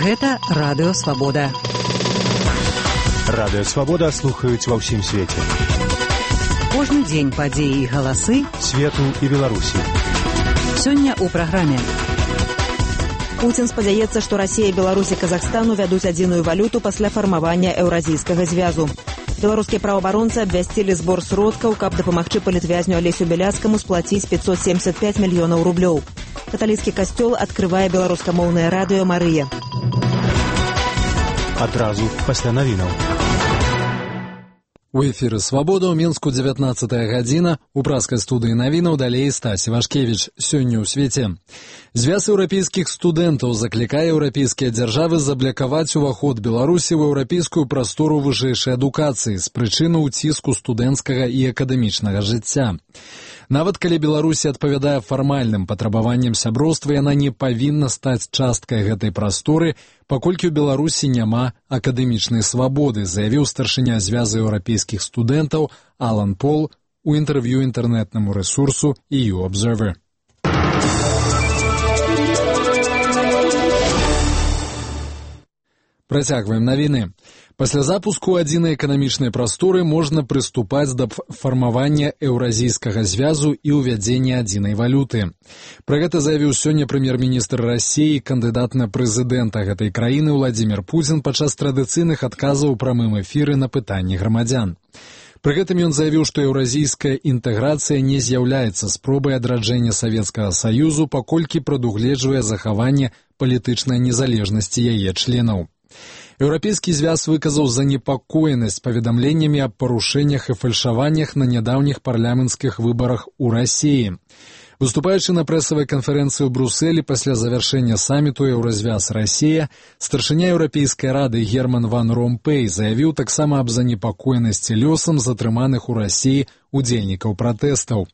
Гэта Радыё Свабода. Радыё Свабода слухаюць ва ўсім свеце. Кожны дзень падзеі і галасы свету і Беларусі. Сёння ў праграме. Пуцін спадзяецца, што Расія, Беларусь і Казахстан увядуць адзіную валюту пасля фармавання Еўразійскага звязу. Беларускія праваабаронцы абвясцілі збор сродкаў, каб дапамагчы палітвязню Алесю Бяляцкаму сплаціць 575 мільёнаў рублёў. Каталіцкі касцёл адкрывае беларускамоўнае радыё «Марыя». Адразу пасля навінаў. У эфіры «Свабода» ў Мінску 19 гадзіна. У праскай студыі навінаў далей Стась Івашкевіч. Сёння ў свеце. Звяз еўрапейскіх студэнтаў заклікае еўрапейскія дзяржавы заблакаваць уваход Беларусі ў еўрапейскую прастору вышэйшай адукацыі з прычыны ўціску студэнцкага і акадэмічнага жыцця. Нават калі Беларусі адпавядае фармальным патрабаванням сяброўства, яна не павінна стаць часткай гэтай прасторы, паколькі ў Беларусі няма акадэмічнай свабоды, заявіў старшыня звязу еўрапейскіх студэнтаў Алан Пол у інтэрв'ю інтэрнэтнаму рэсурсу EU Observer. Працягваем навіны. Пасля запуску адзінай эканамічнай прасторы можна прыступаць да фармавання Еўразійскага звязу і ўвядзення адзінай валюты. Пра гэта заявіў сёння прэм'ер-міністр Расіі, кандыдат на прэзідэнта гэтай краіны Владзімір Пуцін падчас традыцыйных адказаў у прамым эфіры на пытанні грамадзян. Пры гэтым ён заявіў, што еўразійская інтэграцыя не з'яўляецца спробай адраджэння Савецкага Саюзу, паколькі прадугледжвае захаванне палітычнай незалежнасці яе членаў. Еўрапейскі звяз выказаў занепакоенасць паведамленнямі аб парушэннях і фальшаваннях на нядаўніх парламенцкіх выбарах у Расіі. Выступаючы на прэсавай канферэнцыі ў Брусэлі пасля завяршэння саміту Еўразвяз-Расія, старшыня Еўрапейскай рады Герман ван Ромпэй заявіў таксама аб занепакоенасці лёсам затрыманых у Расіі удзельнікаў пратэстаў.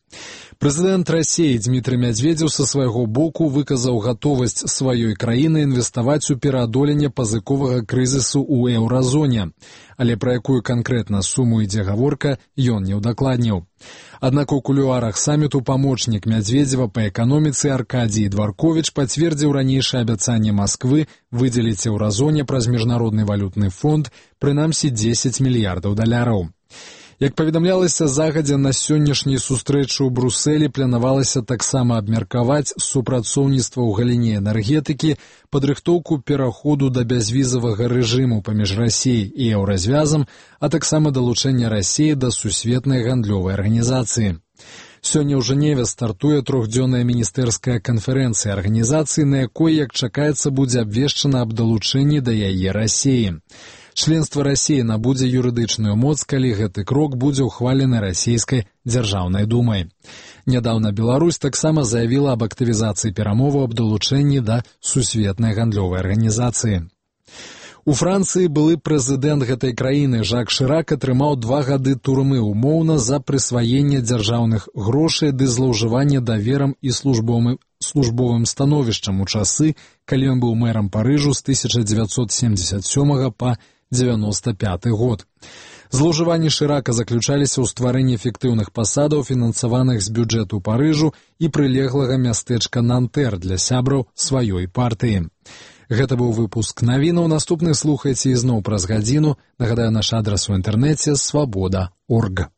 Прэзідэнт Расіі Дмітрый Мядзведзеў са свайго боку выказаў гатовасць сваёй краіны інвеставаць у пераадоленне пазыковага крызісу ў еўразоне, але пра якую канкрэтна суму ідзе гаворка, ён не ўдакладніў. Аднак у кулуарах саміту памочнік Мядзведзева па эканоміцы Аркадій Дварковіч пацвердзіў ранейшае абяцанне Масквы выдзеліць еўразоне праз міжнародны валютны фонд прынамсі 10 мільярдаў даляраў. Як паведамлялася загадзя, на сённяшняй сустрэчы ў Брусэлі планавалася таксама абмеркаваць супрацоўніцтва ў галіне энергетыкі, падрыхтоўку пераходу да бязвізавага рэжыму паміж Расіяй і Еўразвязам, а таксама далучэнне Расіі да сусветнай гандлёвай арганізацыі. Сёння ў Жэневе стартуе трохдзённая міністэрская канферэнцыя арганізацыі, на якой, як чакаецца, будзе абвешчана аб далучэнні да яе Расіі. Членства Расіі набудзе юрыдычную моц, калі гэты крок будзе ўхвалены расійскай дзяржаўнай думай. Нядаўна Беларусь таксама заявіла аб актывізацыі перамоваў аб далучэнні да сусветнай гандлёвай арганізацыі. У Францыі былы прэзідэнт гэтай краіны Жак Шырак атрымаў 2 гады турмы умоўна за прысваенне дзяржаўных грошай ды злоўжыванне даверам і службовым становішчам у часы, калі ён быў мэрам Парыжу з 1977 па 1995 год. Злоўжыванні Шырака заключаліся ў стварэнні эфектыўных пасадаў, фінансаваных з бюджэту Парыжу і прылеглага мястэчка Нантэр для сябраў сваёй партыі. Гэта быў выпуск навінаў. Наступны слухайце ізноў праз гадзіну. Нагадаю, наш адрас у інтэрнэце свабода.орг.